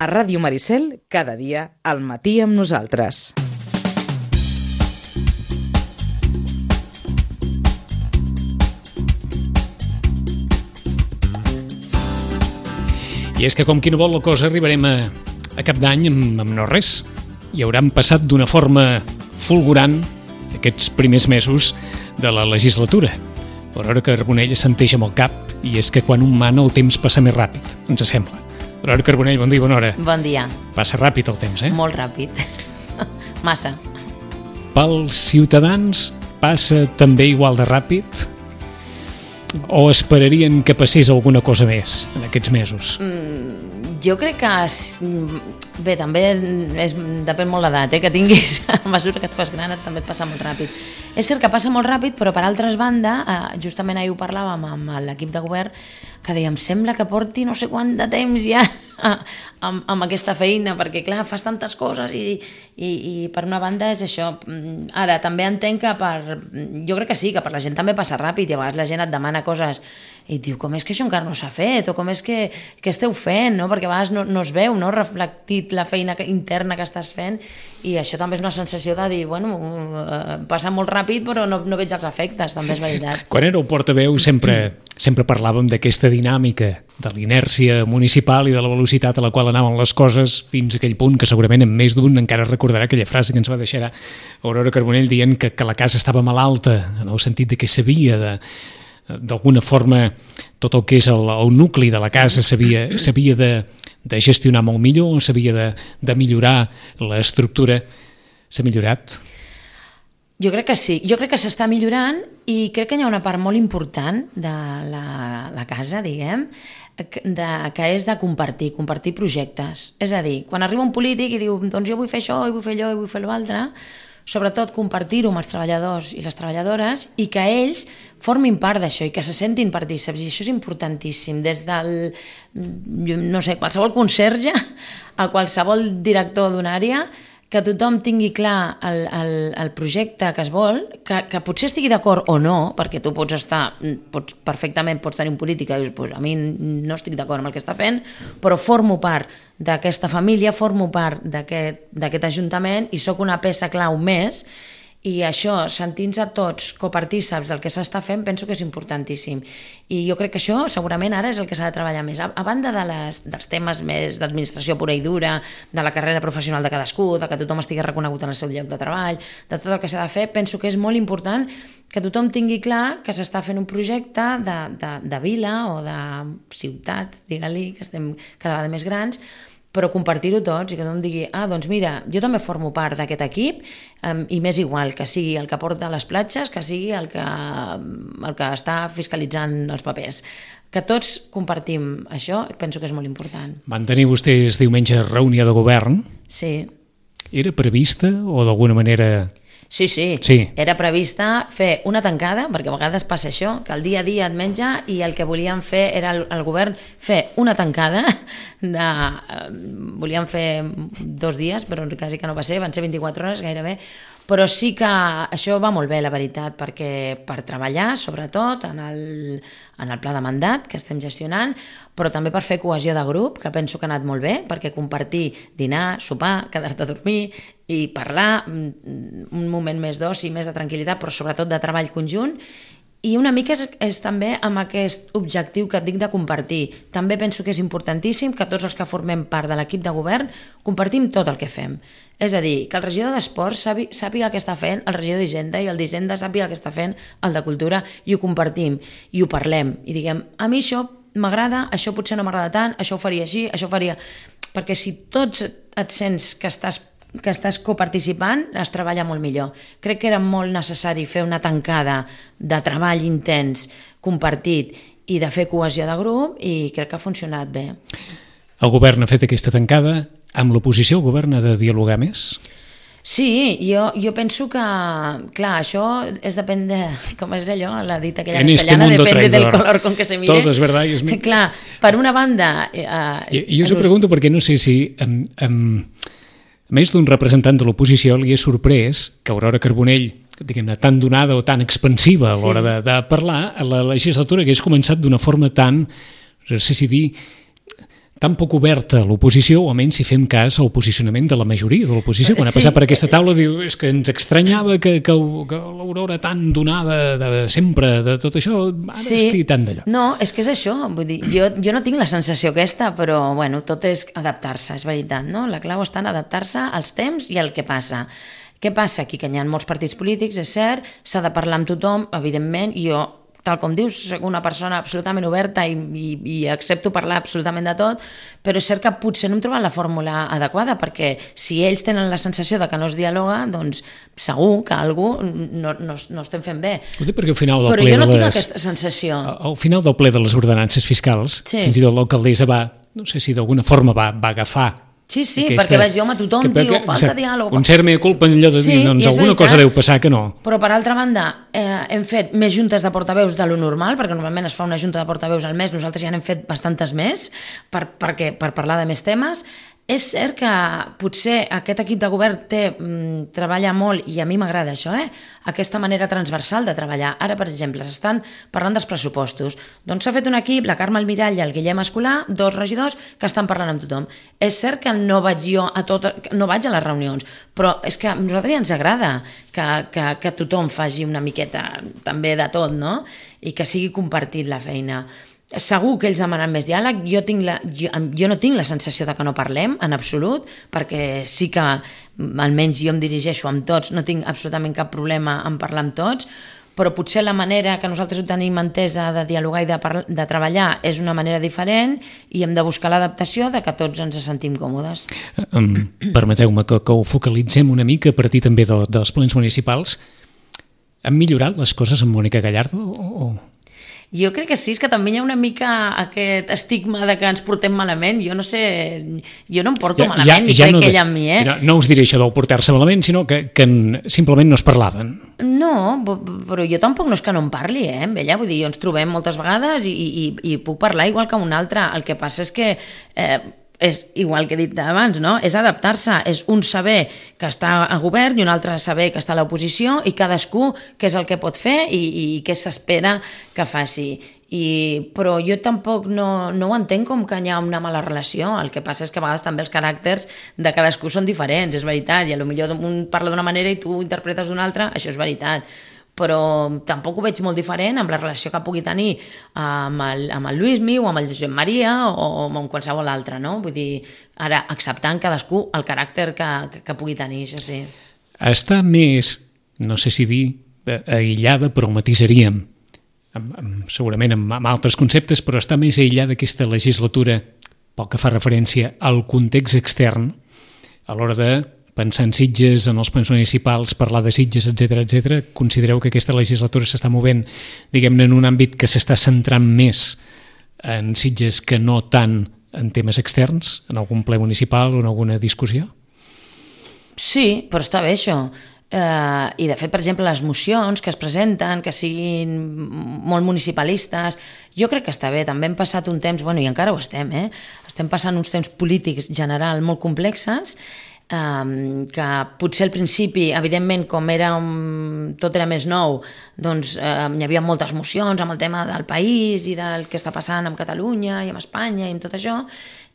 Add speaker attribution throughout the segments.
Speaker 1: A Ràdio Maricel, cada dia, al matí amb nosaltres.
Speaker 2: I és que, com qui no vol la cosa, arribarem a cap d'any amb no res. I hauran passat d'una forma fulgurant aquests primers mesos de la legislatura. Aurora Carbonell assenteix amb el cap, i és que quan un mana el temps passa més ràpid, ens sembla. Aurora Carbonell, bon dia, bona hora.
Speaker 3: Bon dia.
Speaker 2: Passa ràpid el temps, eh?
Speaker 3: Molt ràpid. Massa.
Speaker 2: Pels ciutadans passa també igual de ràpid? O esperarien que passés alguna cosa més en aquests mesos?
Speaker 3: Jo crec que... Bé, també depèn molt l'edat, que tinguis. A mesura que et fas gran també et passa molt ràpid. És cert que passa molt ràpid, però per altra banda, justament ahir ho parlàvem amb l'equip de govern, que dèiem, sembla que porti no sé quant de temps ja amb aquesta feina, perquè clar, fas tantes coses i per una banda és això. Ara, també entenc que jo crec que sí, que per la gent també passa ràpid i a vegades la gent et demana coses i et diu, com és que això encara no s'ha fet, o com és que esteu fent, no? Perquè a vegades no es veu, no? Reflectit la feina interna que estàs fent, i això també és una sensació de dir, bueno, passa molt ràpid però no veig els efectes, també és veritat.
Speaker 2: Quan era el portaveu sempre parlàvem d'aquesta dinàmica de l'inèrcia municipal i de la velocitat a la qual anaven les coses fins a aquell punt que segurament en més d'un encara recordarà aquella frase que ens va deixar Aurora Carbonell dient que la casa estava malalta, en el sentit de que s'havia d'alguna forma tot el que és el nucli de la casa s'havia de gestionar molt millor, s'havia de millorar l'estructura. S'ha millorat?
Speaker 3: Jo crec que sí, jo crec que s'està millorant i crec que hi ha una part molt important de la casa, diguem, que és de compartir projectes. És a dir, quan arriba un polític i diu doncs jo vull fer això, i vull fer allò, i vull fer l'altre, sobretot compartir-ho amb els treballadors i les treballadores i que ells formin part d'això i que se sentin partícips, i això és importantíssim, des del, no sé, qualsevol conserge a qualsevol director d'una àrea, que tothom tingui clar el projecte que es vol, que potser estigui d'acord o no, perquè tu perfectament pots tenir un polític que dius, pues a mi no estic d'acord amb el que està fent, però formo part d'aquesta família, formo part d'aquest ajuntament i sóc una peça clau més, i això, sentint-se tots copartícips del que s'està fent, penso que és importantíssim. I jo crec que això segurament ara és el que s'ha de treballar més. A banda dels temes més d'administració pura i dura, de la carrera professional de cadascú, de que tothom estigui reconegut en el seu lloc de treball, de tot el que s'ha de fer, penso que és molt important que tothom tingui clar que s'està fent un projecte de vila o de ciutat, digue-li, que estem cada vegada més grans, però compartir-ho tots i que tothom digui, doncs mira, jo també formo part d'aquest equip, i m'és igual que sigui el que porta a les platges, que sigui el que està fiscalitzant els papers. Que tots compartim això, penso que és molt important.
Speaker 2: Van tenir vostès diumenge reunió de govern?
Speaker 3: Sí.
Speaker 2: Era prevista o d'alguna manera...
Speaker 3: Sí. Era prevista fer una tancada, perquè a vegades passa això, que el dia a dia et menja, i el que volíem fer era el govern fer una tancada, volíem fer 2 dies, però quasi que no va ser, van ser 24 hores gairebé, però sí que això va molt bé, la veritat, perquè per treballar, sobretot, en el pla de mandat que estem gestionant, però també per fer cohesió de grup, que penso que ha anat molt bé, perquè compartir, dinar, sopar, quedar-te a dormir i parlar, un moment més d'oci, més de tranquil·litat, però sobretot de treball conjunt. I una mica és també amb aquest objectiu que et dic de compartir. També penso que és importantíssim que tots els que formem part de l'equip de govern compartim tot el que fem. És a dir, que el regidor d'Esports sàpiga què està fent el regidor d'Hisenda, i el d'Hisenda sàpiga què està fent el de Cultura, i ho compartim, i ho parlem, i diguem, a mi això m'agrada, això potser no m'agrada tant, això ho faria així, això ho faria... Perquè si tots et sents que estàs coparticipant, es treballa molt millor. Crec que era molt necessari fer una tancada de treball intens, compartit, i de fer cohesió de grup, i crec que ha funcionat bé.
Speaker 2: El govern ha fet aquesta tancada. Amb l'oposició el govern ha de dialogar més?
Speaker 3: Sí, jo penso que, clar, això depèn de, com és allò, la dita aquella castellana, depende del color con que se mire.
Speaker 2: Todo es verdad y es mentira.
Speaker 3: Clar, per una banda...
Speaker 2: Jo us ho pregunto perquè no sé si, més d'un representant de l'oposició, li és sorprès que Aurora Carbonell, diguem-ne, tan donada o tan expansiva a l'hora de parlar, la legislatura hagués començat d'una forma tan, no sé si dir, tan poc oberta a l'oposició, o almenys si fem cas al posicionament de la majoria de l'oposició. Quan ha passat per aquesta taula diu és que ens estranyava que l'Aurora tan donada de sempre, de tot això, ara estigui tant d'allò.
Speaker 3: No, és que és això. Vull dir, jo no tinc la sensació aquesta, però bueno, tot és adaptar-se, és veritat, no? La clau està en adaptar-se als temps i al que passa. Què passa aquí? Que hi ha molts partits polítics, és cert, s'ha de parlar amb tothom, evidentment, i jo, tal com dius, soc una persona absolutament oberta i accepto parlar absolutament de tot, però és cert que potser no hem trobat la fórmula adequada, perquè si ells tenen la sensació de que no es dialoga, doncs segur que algú no estem fent bé.
Speaker 2: Ho dic perquè al final del
Speaker 3: però
Speaker 2: ple
Speaker 3: jo no
Speaker 2: de
Speaker 3: tinc
Speaker 2: les...
Speaker 3: aquesta sensació.
Speaker 2: Al final del ple de les ordenances fiscals, fins i tot l'alcaldessa va, no sé si d'alguna forma va agafar
Speaker 3: Sí, perquè vaig jo a tothom, diu, falta diàleg.
Speaker 2: Un cert mea culpa en allò de dir, doncs alguna cosa deu passar que no.
Speaker 3: Però per altra banda, hem fet més juntes de portaveus de lo normal, perquè normalment es fa una junta de portaveus al mes, nosaltres ja n'hem fet bastantes més per parlar de més temes. És cert que potser aquest equip de govern treballa molt, i a mi m'agrada això, aquesta manera transversal de treballar. Ara, per exemple, s'estan parlant dels pressupostos. Doncs s'ha fet un equip, la Carme Almirall i el Guillem Escolà, 2 regidors, que estan parlant amb tothom. És cert que no vaig jo no vaig a les reunions, però és que a nosaltres ja ens agrada que tothom faci una miqueta també de tot, no? I que sigui compartit la feina. Segur que ells demanen més diàleg, jo no tinc la sensació de que no parlem en absolut, perquè sí que almenys jo em dirigeixo amb tots, no tinc absolutament cap problema en parlar amb tots, però potser la manera que nosaltres ho tenim entesa de dialogar i de treballar és una manera diferent i hem de buscar l'adaptació de que tots ens sentim còmodes.
Speaker 2: Permeteu-me que ho focalitzem una mica a partir també dels plens municipals. Han millorat les coses amb Mònica Gallardo o...?
Speaker 3: Jo crec que sí, és que també hi ha una mica aquest estigma de que ens portem malament. Jo no sé, jo no em porto malament, ni crec que ella amb mi,
Speaker 2: No us diré això del portar-se malament, sinó que simplement no es parlaven.
Speaker 3: No, però jo tampoc no és que no em parli, amb ella. Vull dir, jo ens trobem moltes vegades i puc parlar igual que un altre. El que passa és que... és igual que he dit abans, no? És adaptar-se, és un saber que està a govern i un altre saber que està a l'oposició i cadascú què és el que pot fer i què s'espera que faci. Però jo tampoc no ho entenc com que hi ha una mala relació. El que passa és que a vegades també els caràcters de cadascú són diferents, és veritat, i potser un parla d'una manera i tu interpretes d'una altra, això és veritat. Però tampoc ho veig molt diferent amb la relació que pugui tenir amb el Lluïsmi o amb el Josep Maria o amb qualsevol altre, no? Vull dir, ara acceptant cadascú el caràcter que pugui tenir, això sí.
Speaker 2: Està més, no sé si dir, aïllada, però ho matisaríem, segurament amb altres conceptes, però està més aïllada aquesta legislatura pel que fa referència al context extern a l'hora de pensar en Sitges, en els plens municipals, parlar de Sitges, etc. Considereu que aquesta legislatura s'està movent, diguem-ne, en un àmbit que s'està centrant més en Sitges que no tant en temes externs, en algun ple municipal o en alguna discussió?
Speaker 3: Sí, però està bé això. I de fet, per exemple, les mocions que es presenten, que siguin molt municipalistes, jo crec que està bé. També hem passat un temps, i encara ho estem, estem passant uns temps polítics general molt complexes, que potser al principi, evidentment, com tot era més nou, doncs hi havia moltes mocions amb el tema del país i del que està passant amb Catalunya i amb Espanya i amb tot això,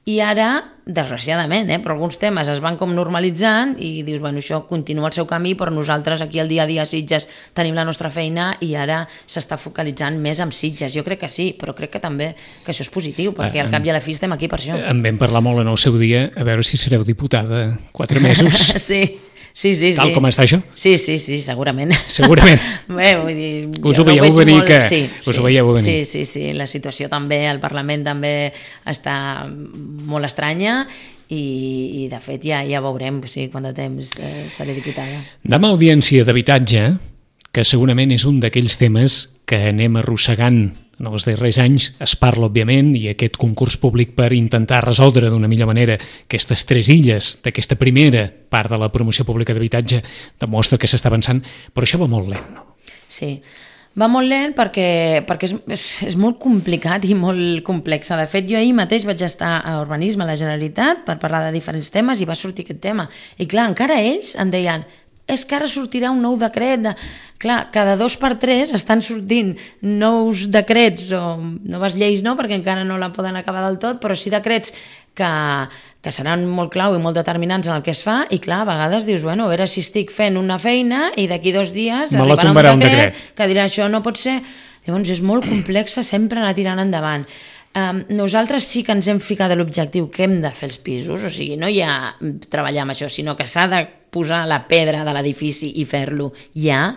Speaker 3: i ara, desgraciadament, però alguns temes es van com normalitzant i dius, això continua el seu camí, però nosaltres aquí al dia a dia a Sitges tenim la nostra feina i ara s'està focalitzant més en Sitges. Jo crec que sí, però crec que també que això és positiu, perquè al cap i a la fi estem aquí per això.
Speaker 2: En vam parlar molt en el seu dia, a veure si sereu diputada 4 mesos.
Speaker 3: Sí.
Speaker 2: Tal com està això?
Speaker 3: Sí, segurament.
Speaker 2: Segurament.
Speaker 3: Bé, vull dir...
Speaker 2: Us ho veieu venir que... Us ho veieu venir.
Speaker 3: Sí, la situació també, el Parlament també està molt estranya i de fet ja veurem quant de temps seré diputada.
Speaker 2: Demà audiència d'habitatge, que segurament és un d'aquells temes que anem arrossegant en els darrers anys. Es parla, òbviament, i aquest concurs públic per intentar resoldre d'una millor manera aquestes 3 illes d'aquesta primera part de la promoció pública d'habitatge demostra que s'està avançant, però això va molt lent, no?
Speaker 3: Sí, va molt lent perquè és molt complicat i molt complex. De fet, jo ahir mateix vaig estar a Urbanisme a la Generalitat per parlar de diferents temes i va sortir aquest tema. I clar, encara ells em deien és que ara sortirà un nou decret. Clar, cada 2 per 3 estan sortint nous decrets o noves lleis, no, perquè encara no la poden acabar del tot, però sí decrets que seran molt clau i molt determinants en el que es fa, i clar, a vegades dius, bueno, a veure si estic fent una feina i d'aquí 2 dies arribarà un decret que dirà això no pot ser. Llavors és molt complex sempre anar tirant endavant. Nosaltres sí que ens hem ficat a l'objectiu que hem de fer els pisos, o sigui, no ja treballar amb això, sinó que s'ha de posar la pedra de l'edifici i fer-lo ja,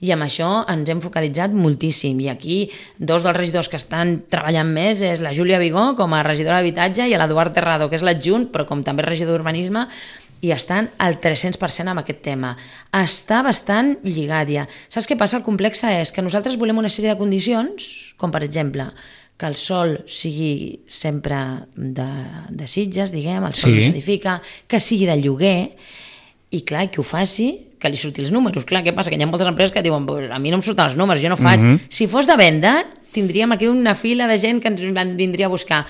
Speaker 3: i amb això ens hem focalitzat moltíssim, i aquí 2 dels regidors que estan treballant més és la Júlia Vigó com a regidora d'habitatge i l'Eduard Terrado, que és l'adjunt, però com també regidor d'urbanisme, i estan al 300% amb aquest tema. Està bastant lligat ja. Saps què passa? El complex és que nosaltres volem una sèrie de condicions, com per exemple que el sòl sigui sempre de Sitges, diguem, el sòl no s'edifica, que sigui de lloguer, i clar, que ho faci, que li surti els números. Clar, què passa? Que hi ha moltes empreses que diuen a mi no em surten els números, jo no faig. Si fos de venda, tindríem aquí una fila de gent que ens vindria a buscar.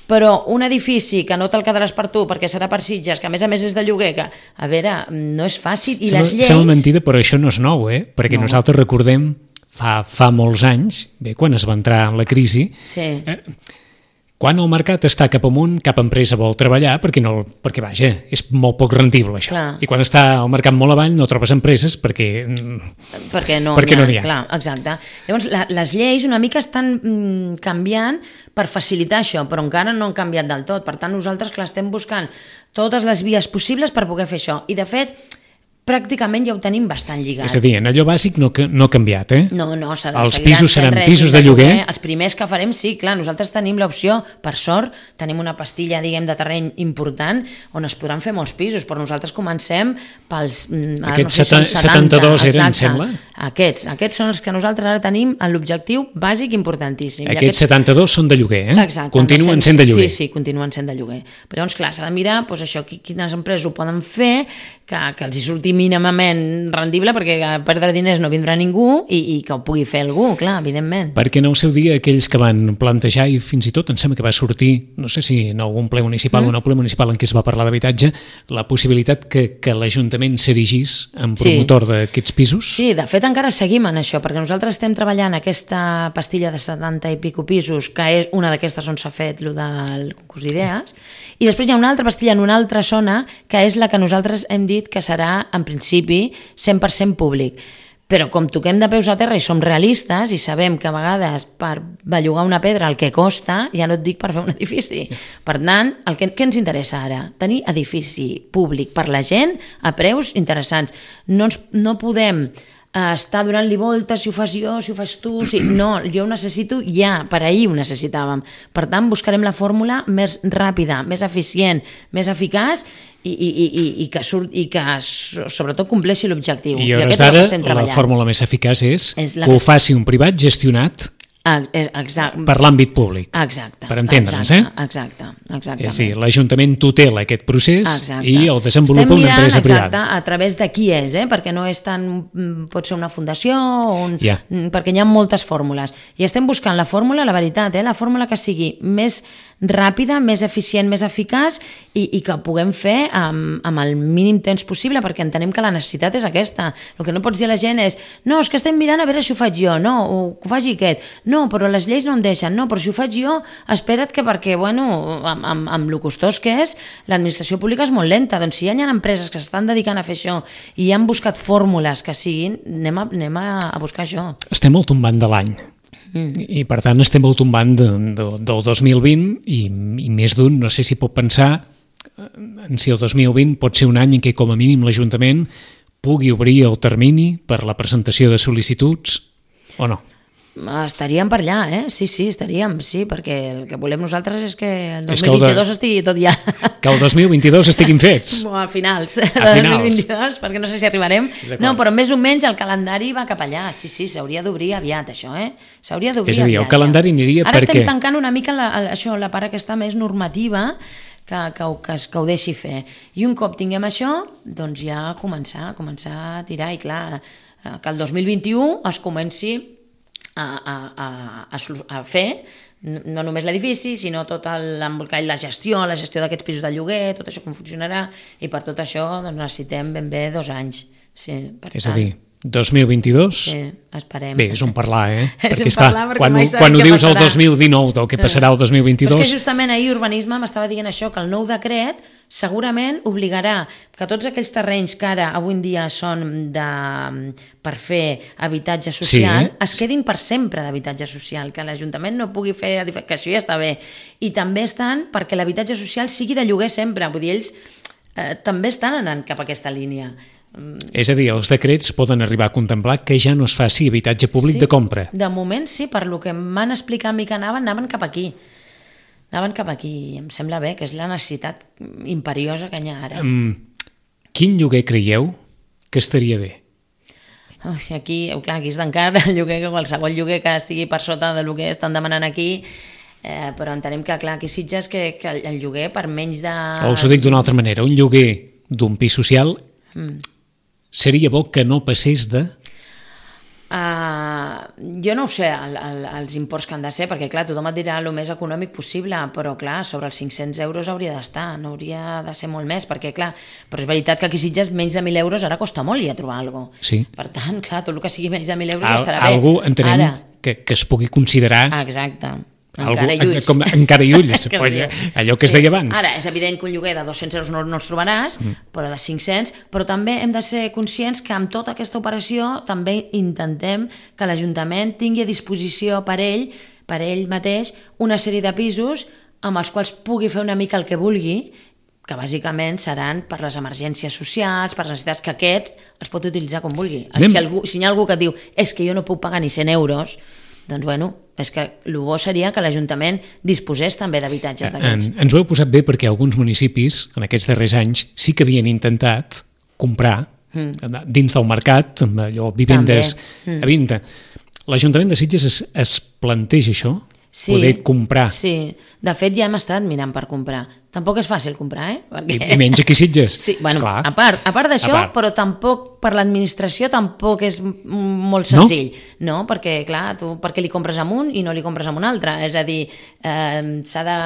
Speaker 3: Però un edifici que no te'l quedaràs per tu perquè serà per Sitges, que a més és de lloguer, que, a veure, no és fàcil. I les lleis...
Speaker 2: Sembla mentida, però això no és nou, perquè nosaltres recordem fa molts anys, quan es va entrar en la crisi, quan el mercat està cap amunt, cap empresa vol treballar perquè vaja, és molt poc rendible això. Clar. I quan està el mercat molt avall no trobes empreses perquè no n'hi ha.
Speaker 3: Clar, exacte. Llavors, les lleis una mica estan canviant per facilitar això, però encara no han canviat del tot. Per tant, nosaltres estem buscant totes les vies possibles per poder fer això. I, de fet, pràcticament ja ho tenim bastant lligat.
Speaker 2: És a dir, en allò bàsic no ha canviat,
Speaker 3: No,
Speaker 2: els pisos seran pisos de lloguer?
Speaker 3: Els primers que farem, sí, clar, nosaltres tenim l'opció, per sort, tenim una pastilla, diguem, de terreny important on es podran fer molts pisos, però nosaltres comencem pels...
Speaker 2: Aquests 72 eren, em sembla?
Speaker 3: Aquests són els que nosaltres ara tenim en l'objectiu bàsic importantíssim.
Speaker 2: Aquests 72 són de lloguer,
Speaker 3: Exacte.
Speaker 2: Continuen sent de lloguer.
Speaker 3: Sí, continuen sent de lloguer. Però llavors, clar, s'ha de mirar això, quines empreses ho poden fer, que els hi surti mínimament rendible, perquè a perdre diners no vindrà ningú i que ho pugui fer algú, clar, evidentment.
Speaker 2: Perquè en el seu dia aquells que van plantejar, i fins i tot em sembla que va sortir, no sé si en algun ple municipal o en el ple municipal en què es va parlar d'habitatge, la possibilitat que l'Ajuntament s'erigís en promotor d'aquests pisos?
Speaker 3: Sí, de fet encara seguim en això, perquè nosaltres estem treballant aquesta pastilla de 70 i pico pisos, que és una d'aquestes on s'ha fet el del concurs d'idees, i després hi ha una altra pastilla en una altra zona, que és la que nosaltres hem dit que serà, en principi, 100% públic. Però com toquem de peus a terra i som realistes i sabem que a vegades per bellugar una pedra el que costa, ja no et dic per fer un edifici. Per tant, què ens interessa ara? Tenir edifici públic per la gent a preus interessants. No podem estar donant-li voltes, si ho fas jo, si ho fas tu, no, jo ho necessito ja, per ahir ho necessitàvem. Per tant, buscarem la fórmula més ràpida, més eficient, més eficaç i que sobretot compleixi l'objectiu.
Speaker 2: I a hores d'ara la fórmula més eficaç és que ho faci un privat gestionat per l'àmbit públic.
Speaker 3: Exacte.
Speaker 2: Per entendre'ns,
Speaker 3: Exactament.
Speaker 2: Sí, l'Ajuntament tutela aquest procés i el desenvolupa una empresa privada.
Speaker 3: Exacte, a través de qui és, perquè no és tant... Pot ser una fundació, perquè hi ha moltes fórmules. I estem buscant la fórmula, la veritat, la fórmula que sigui més ràpida, més eficient, més eficaç i que puguem fer amb el mínim temps possible, perquè entenem que la necessitat és aquesta. El que no pots dir a la gent és no, és que estem mirant a veure si ho faig jo, no, o que ho faci aquest. No, però les lleis no em deixen, no, però si ho faig jo, espera't que perquè, bueno, amb lo costós que és, l'administració pública és molt lenta. Doncs si hi ha empreses que s'estan dedicant a fer això i han buscat fórmules que siguin, anem a buscar això.
Speaker 2: Estem al tombant de l'any. I per tant estem al tombant del 2020 i més d'un no sé si pot pensar en si el 2020 pot ser un any en què com a mínim l'Ajuntament pugui obrir el termini per la presentació de sol·licituds o no.
Speaker 3: Estaríem per allà, sí, estaríem, sí, perquè el que volem nosaltres és que el 2022 estigui tot ja.
Speaker 2: Que el 2022 estiguin fets.
Speaker 3: A finals de 2022, perquè no sé si arribarem. No, però més o menys el calendari va cap allà. Sí, s'hauria d'obrir aviat, això, S'hauria d'obrir aviat.
Speaker 2: És a dir, el calendari aniria perquè...
Speaker 3: Ara estem tancant una mica la part aquesta més normativa que ho deixi fer. I un cop tinguem això, doncs ja començar a tirar. I clar, que el 2021 es comenci a fer no només l'edifici, sinó tot l'embolcall, la gestió d'aquests pisos de lloguer, tot això com funcionarà, i per tot això doncs, necessitem ben bé 2 anys. Sí, per
Speaker 2: És a dir, 2022...
Speaker 3: Sí, esperem.
Speaker 2: Bé, és un parlar,
Speaker 3: És
Speaker 2: perquè,
Speaker 3: un parlar perquè mai sabem
Speaker 2: quan ho
Speaker 3: què
Speaker 2: dius el
Speaker 3: passarà.
Speaker 2: 2019 del que passarà el 2022...
Speaker 3: Però és que justament ahir Urbanisme m'estava dient això, que el nou decret segurament obligarà que tots aquells terrenys que ara avui en dia són per fer habitatge social es quedin per sempre d'habitatge social, que l'Ajuntament no pugui fer edificació, ja està bé. I també estan perquè l'habitatge social sigui de lloguer sempre, vull dir, ells també estan anant cap a aquesta línia.
Speaker 2: És a dir, els decrets poden arribar a contemplar que ja no es faci habitatge públic de compra.
Speaker 3: De moment sí, per lo que em van explicar a mi que anaven cap aquí. Anaven cap aquí, em sembla bé, que és la necessitat imperiosa que hi ha ara.
Speaker 2: Quin lloguer creieu que estaria bé?
Speaker 3: Aquí és d'encara el lloguer, que qualsevol lloguer que estigui per sota del que estan demanant aquí, però entenem que, clar, aquí Sitges que el lloguer per menys de...
Speaker 2: O us ho dic d'una altra manera, un lloguer d'un pis social seria bo que no passés de...
Speaker 3: Jo no ho sé, els imports que han de ser, perquè clar, tothom et dirà el més econòmic possible, però clar, sobre els 500 euros hauria d'estar, no hauria de ser molt més, perquè clar, però és veritat que aquí a Sitges menys de 1.000 euros ara costa molt ja trobar alguna cosa.
Speaker 2: Sí.
Speaker 3: Per tant, clar, tot el que sigui menys de 1.000 euros ja estarà bé.
Speaker 2: Algú entenem que es pugui considerar...
Speaker 3: Exacte.
Speaker 2: Encara i ulls. Encara i ulls, allò que es deia abans.
Speaker 3: Ara, és evident que un lloguer de 200 euros no els trobaràs, però de 500, però també hem de ser conscients que amb tota aquesta operació també intentem que l'Ajuntament tingui a disposició per ell mateix, una sèrie de pisos amb els quals pugui fer una mica el que vulgui, que bàsicament seran per les emergències socials, per les necessitats que aquests els pot utilitzar com vulgui. Si hi ha algú que et diu és que jo no puc pagar ni 100 euros, doncs bueno, és que el bo seria que l'Ajuntament disposés també d'habitatges d'aquests.
Speaker 2: Ens ho heu posat bé perquè alguns municipis en aquests darrers anys sí que havien intentat comprar dins del mercat, amb allò, vivendes a venda. L'Ajuntament de Sitges es planteja això? Poder comprar?
Speaker 3: Sí, de fet ja hem estat mirant per comprar. Tampoc és fàcil comprar,
Speaker 2: I menys aquí a Sitges.
Speaker 3: Sí, bueno, a part d'això, però tampoc per l'administració tampoc és molt senzill. No, perquè clar, tu per què li compres amb un i no li compres amb un altre? És a dir, s'ha de...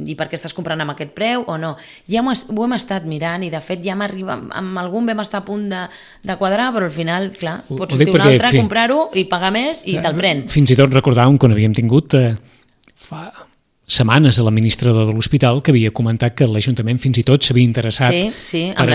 Speaker 3: I per què estàs comprant amb aquest preu o no? Ja ho hem estat mirant i de fet ja amb algun vam estar a punt de quadrar, però al final, clar, pots sortir un altre, comprar-ho i pagar més i te'l pren.
Speaker 2: Fins i tot recordàvem quan havíem tingut fa setmanes a l'administrador de l'hospital que havia comentat que l'Ajuntament fins i tot s'havia interessat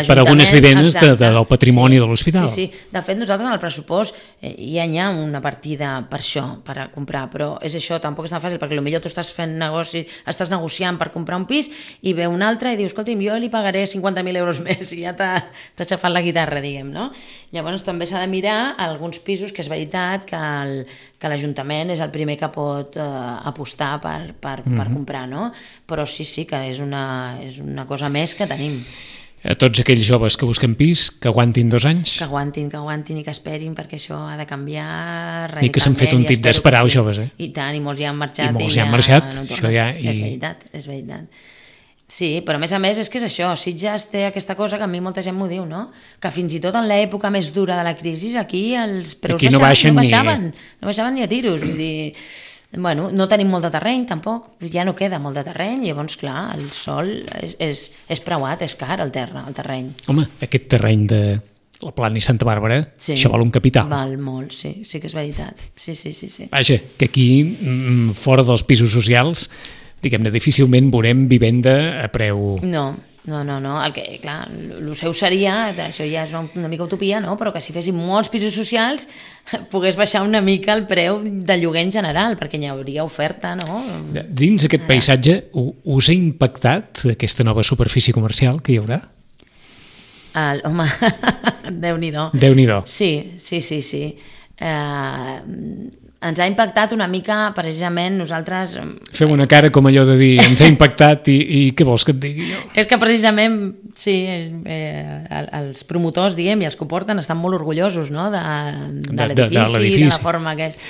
Speaker 2: per algunes vivendes del patrimoni de l'hospital.
Speaker 3: Sí. De fet, nosaltres en el pressupost ja hi ha una partida per això, per a comprar, però és això, tampoc és tan fàcil, perquè potser tu estàs fent negoci, estàs negociant per comprar un pis i ve un altre i dius, escolti'm, jo li pagaré 50.000 euros més i ja t'ha aixafat la guitarra, diguem, no? Llavors també s'ha de mirar alguns pisos que és veritat que l'Ajuntament és el primer que pot apostar per comprar, no? Però sí, que és una cosa més que tenim.
Speaker 2: A tots aquells joves que busquen pis, que aguantin 2 anys.
Speaker 3: Que aguantin i que esperin, perquè això ha de canviar radicalment.
Speaker 2: I que s'han fet un tip d'esperar els joves,
Speaker 3: I tant, i molts ja han marxat. És veritat. Sí, però a més és que és això, Sitges té aquesta cosa que a mi molta gent m'ho diu, no? Que fins i tot en l'època més dura de la crisi aquí els preus no baixaven ni a tiros, vull dir... Bueno, no tenim molt de terreny tampoc, ja no queda molt de terreny, llavors clar, el sòl és preuat, és car el terreny.
Speaker 2: Home, aquest terreny de la Plana i Santa Bàrbara, això val un capital.
Speaker 3: Val molt, sí que és veritat. Sí.
Speaker 2: Vaja, que aquí, fora dels pisos socials, diguem-ne, difícilment veurem vivenda a preu...
Speaker 3: No, el que, clar, el seu seria, això ja és una mica utopia, no? Però que si fessin molts pisos socials pogués baixar una mica el preu de lloguer en general, perquè hi hauria oferta, no?
Speaker 2: Dins aquest paisatge, us ha impactat aquesta nova superfície comercial que hi haurà?
Speaker 3: Home, Déu-n'hi-do.
Speaker 2: Déu-n'hi-do.
Speaker 3: Sí. Ens ha impactat una mica, precisament, nosaltres...
Speaker 2: Fem una cara com allò de dir, ens ha impactat i què vols que et digui jo?
Speaker 3: És que precisament, sí, els promotors, diguem, i els que ho porten estan molt orgullosos, no?, de l'edifici, de la forma que és.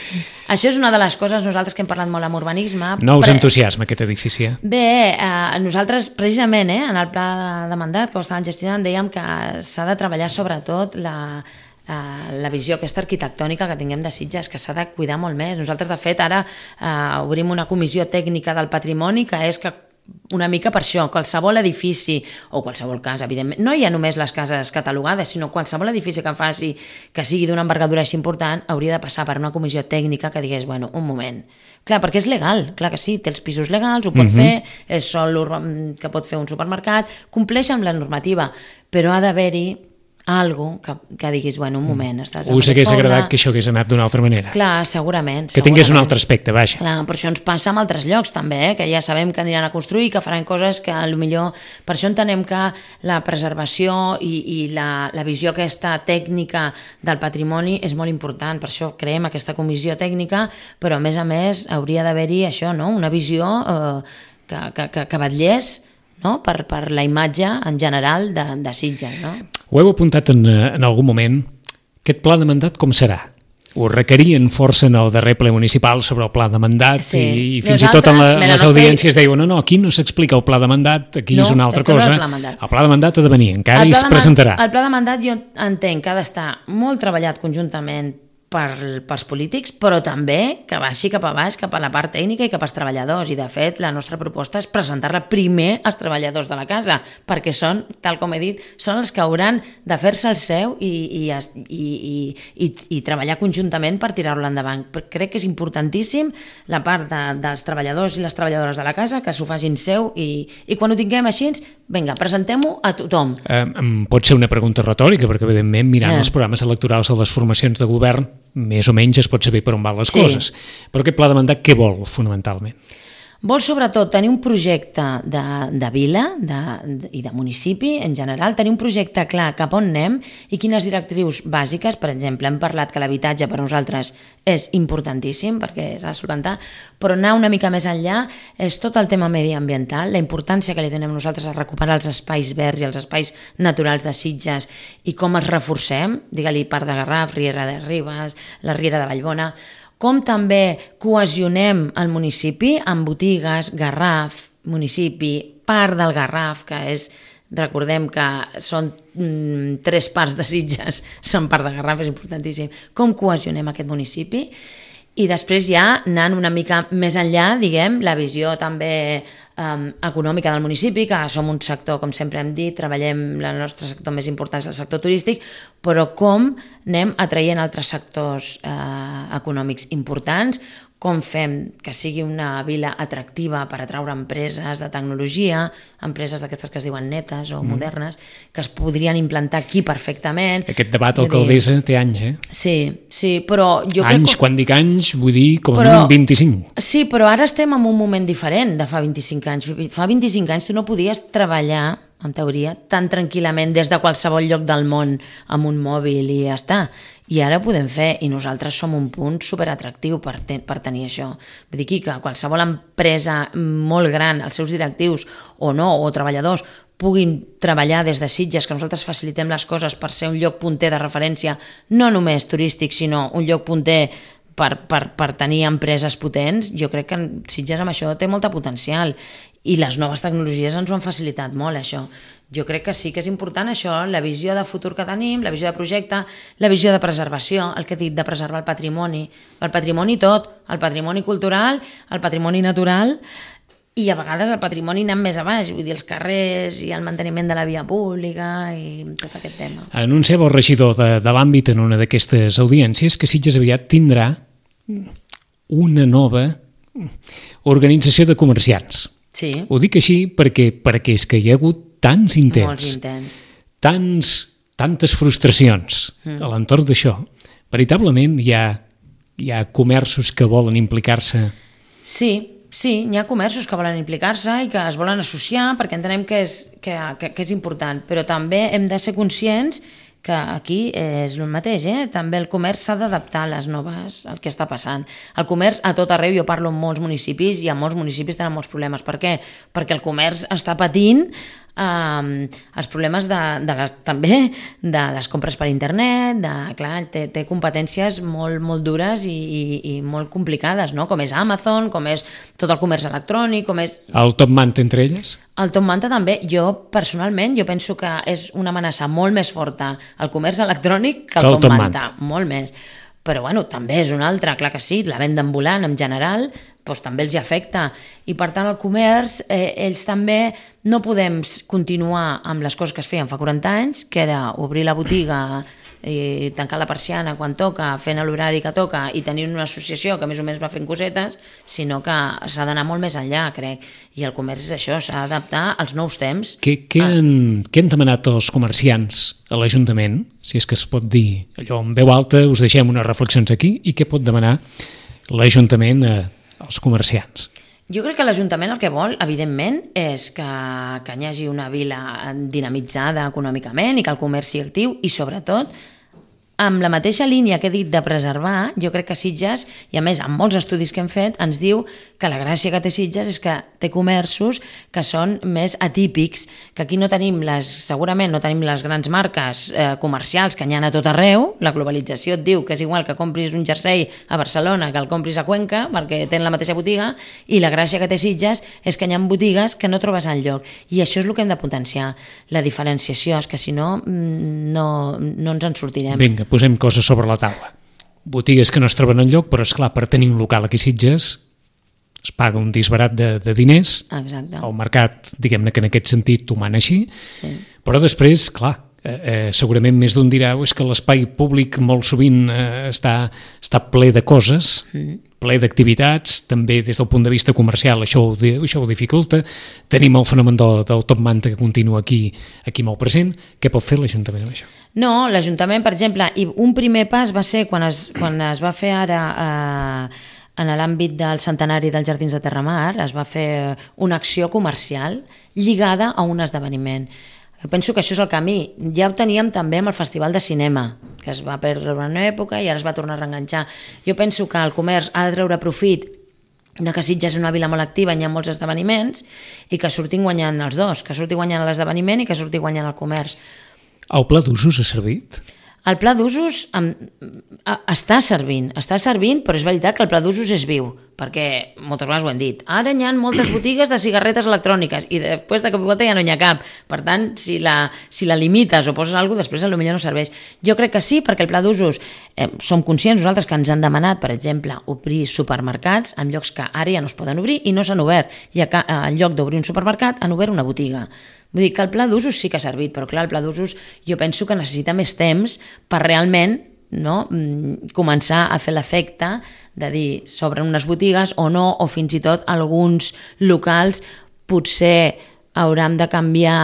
Speaker 3: Això és una de les coses, nosaltres que hem parlat molt amb urbanisme...
Speaker 2: No us entusiasma aquest edifici?
Speaker 3: Bé, nosaltres, precisament, en el pla de mandat que ho estàvem gestionant, dèiem que s'ha de treballar sobretot la visió aquesta arquitectònica que tinguem de Sitges, que s'ha de cuidar molt més. Nosaltres, de fet, ara obrim una comissió tècnica del patrimoni que és que una mica per això, qualsevol edifici o qualsevol casa, evidentment, no hi ha només les cases catalogades, sinó qualsevol edifici que sigui d'una envergadura així important hauria de passar per una comissió tècnica que digués, bueno, un moment, clar, perquè és legal, clar que sí, té els pisos legals, ho pot fer, és sol que pot fer un supermercat, compleix amb la normativa, però ha d'haver-hi algo que diguis, bueno, un moment, estàs en
Speaker 2: us hagués agradat que això hagués anat d'una altra manera.
Speaker 3: Clar, segurament.
Speaker 2: Que tingués un altre aspecte, vaja.
Speaker 3: Clar, però això ens passa en altres llocs també, que ja sabem que aniran a construir, que faran coses que potser... Per això entenem que la preservació i la visió aquesta tècnica del patrimoni és molt important, per això creem aquesta comissió tècnica, però a més hauria d'haver-hi això, no? Una visió que vetllés, no? per la imatge en general de Sitges, no?
Speaker 2: Ho heu apuntat en algun moment. Aquest pla de mandat com serà? Ho requerien força en el darrer ple municipal sobre el pla de mandat i fins i tot en les audiències deien no, aquí no s'explica el pla de mandat, aquí és una altra cosa. El pla de mandat ha de venir, encara i es presentarà.
Speaker 3: El pla de mandat jo entenc que ha d'estar molt treballat conjuntament pels polítics, però també que baixi cap a baix, cap a la part tècnica i cap als treballadors. I, de fet, la nostra proposta és presentar-la primer als treballadors de la casa, perquè són, tal com he dit, són els que hauran de fer-se el seu i treballar conjuntament per tirar-lo endavant. Crec que és importantíssim la part dels treballadors i les treballadores de la casa, que s'ho facin seu i quan ho tinguem així, vinga, presentem-ho a tothom.
Speaker 2: Pot ser una pregunta retòrica, perquè, evidentment, mirant els programes electorals de les formacions de govern, més o menys es pot saber per on van les coses. Però aquest pla de mandat què vol, fonamentalment?
Speaker 3: Vol, sobretot, tenir un projecte de vila i de municipi, en general, tenir un projecte clar cap on anem i quines directrius bàsiques. Per exemple, hem parlat que l'habitatge per nosaltres és importantíssim perquè s'ha de solucionar, però anar una mica més enllà és tot el tema mediambiental, la importància que li donem nosaltres a recuperar els espais verds i els espais naturals de Sitges i com els reforcem, digue-li Parc de Garraf, Riera de Ribes, la Riera de Vallbona, com també cohesionem el municipi amb botigues, Garraf, municipi, Parc del Garraf, que és, recordem que són 3 parts de Sitges, són Parc de Garraf, és importantíssim, com cohesionem aquest municipi. I després ja anant una mica més enllà, diguem, la visió també econòmica del municipi, que som un sector, com sempre hem dit, treballem, el nostre sector més important és el sector turístic, però com anem atraient altres sectors econòmics importants, com fem que sigui una vila atractiva per atraure empreses de tecnologia, empreses d'aquestes que es diuen netes o modernes, que es podrien implantar aquí perfectament.
Speaker 2: Aquest debat alcaldessa té anys,
Speaker 3: Sí, però jo
Speaker 2: crec que... Quan dic anys, vull dir com a mínim 25.
Speaker 3: Sí, però ara estem en un moment diferent de fa 25 anys. Fa 25 anys tu no podies treballar, en teoria, tan tranquil·lament des de qualsevol lloc del món amb un mòbil i ja està. I ara ho podem fer i nosaltres som un punt superatractiu per tenir això. Vull dir que qualsevol empresa molt gran, els seus directius o no, o treballadors, puguin treballar des de Sitges, que nosaltres facilitem les coses per ser un lloc punter de referència, no només turístic, sinó un lloc punter per tenir empreses potents. Jo crec que Sitges amb això té molta potencial i les noves tecnologies ens ho han facilitat molt, això. Jo crec que sí que és important això, la visió de futur que tenim, la visió de projecte, la visió de preservació, el que he dit de preservar el patrimoni tot, el patrimoni cultural, el patrimoni natural i a vegades el patrimoni anant més a baix, vull dir, els carrers i el manteniment de la via pública i tot aquest tema.
Speaker 2: Anunciava el regidor de l'àmbit en una d'aquestes audiències que Sitges aviat tindrà una nova organització de comerciants.
Speaker 3: Sí.
Speaker 2: Ho dic així perquè és que hi ha hagut tants intents,
Speaker 3: molts intents,
Speaker 2: tantes frustracions a l'entorn d'això. Veritablement hi ha comerços que volen implicar-se?
Speaker 3: Sí, hi ha comerços que volen implicar-se i que es volen associar perquè entenem que és important, però també hem de ser conscients que aquí és el mateix, també el comerç s'ha d'adaptar a les noves, al que està passant. El comerç a tot arreu, jo parlo amb molts municipis i a molts municipis tenen molts problemes. Per què? Perquè el comerç està patint els problemes també de les compres per internet, clar, té competències molt dures i molt complicades, no? Com és Amazon, com és tot el comerç electrònic, com és...
Speaker 2: El top manta entre elles?
Speaker 3: El top manta també. Personalment, jo penso que és una amenaça molt més forta el comerç electrònic que el top manta, molt més. Però bueno, també és una altra, clar que sí, la venda ambulant en general, doncs també els hi afecta. I per tant el comerç, ells també no podem continuar amb les coses que es feien fa 40 anys, que era obrir la botiga i tancar la persiana quan toca, fent l'horari que toca i tenir una associació que més o menys va fent cosetes, sinó que s'ha d'anar molt més enllà, crec. I el comerç és això, s'ha d'adaptar als nous temps.
Speaker 2: Què han demanat els comerciants a l'Ajuntament, si és que es pot dir allò en veu alta, us deixem unes reflexions aquí, i què pot demanar l'Ajuntament als comerciants?
Speaker 3: Jo crec que l'Ajuntament el que vol, evidentment, és que hi hagi una vila dinamitzada econòmicament i que el comerç sigui actiu i, sobretot, amb la mateixa línia que he dit de preservar, jo crec que Sitges, i a més amb molts estudis que hem fet, ens diu que la gràcia que té Sitges és que té comerços que són més atípics, que aquí no tenim segurament no tenim les grans marques comercials que n'hi ha a tot arreu. La globalització et diu que és igual que compris un jersei a Barcelona que el compris a Cuenca, perquè tenen la mateixa botiga, i la gràcia que té Sitges és que hi ha botigues que no trobes enlloc, i això és el que hem de potenciar, la diferenciació, és que si no, no ens en sortirem.
Speaker 2: Vinga, posem coses sobre la taula. Botigues que no es troben enlloc, però, esclar, per tenir un local aquí a Sitges es paga un disbarat de diners.
Speaker 3: Exacte.
Speaker 2: El mercat, diguem-ne que en aquest sentit ho mana així,
Speaker 3: sí.
Speaker 2: Però després, clar, segurament més d'un dirà és que l'espai públic molt sovint està ple de coses, ple d'activitats, també des del punt de vista comercial això ho dificulta. Tenim el fenomen del top manta que continua aquí molt present. Què pot fer l'Ajuntament amb això?
Speaker 3: No, l'Ajuntament, per exemple, i un primer pas va ser quan es va fer ara en l'àmbit del centenari dels Jardins de Terramar, es va fer una acció comercial lligada a un esdeveniment. Jo penso que això és el camí. Ja ho teníem també amb el Festival de Cinema, que es va perdre una època i ara es va tornar a reenganxar. Jo penso que el comerç ha de treure profit de que Sitges és una vila molt activa i hi ha molts esdeveniments i que surtin guanyant els dos, que surti guanyant l'esdeveniment i que surti guanyant el comerç.
Speaker 2: El pla d'usos ha servit?
Speaker 3: El pla d'usos està servint, però és veritat que el pla d'usos és viu, perquè moltes vegades ho hem dit. Ara hi ha moltes botigues de cigarretes electròniques i després de cop i volta ja no hi ha cap. Per tant, si la limites o poses alguna cosa, després potser no serveix. Jo crec que sí, perquè el pla d'usos som conscients nosaltres que ens han demanat, per exemple, obrir supermercats en llocs que ara ja no es poden obrir i no s'han obert. I en lloc d'obrir un supermercat han obert una botiga. Vull dir que el pla d'usos sí que ha servit, però clar, el pla d'usos jo penso que necessita més temps per realment començar a fer l'efecte de dir s'obren unes botigues o no, o fins i tot alguns locals potser hauran de canviar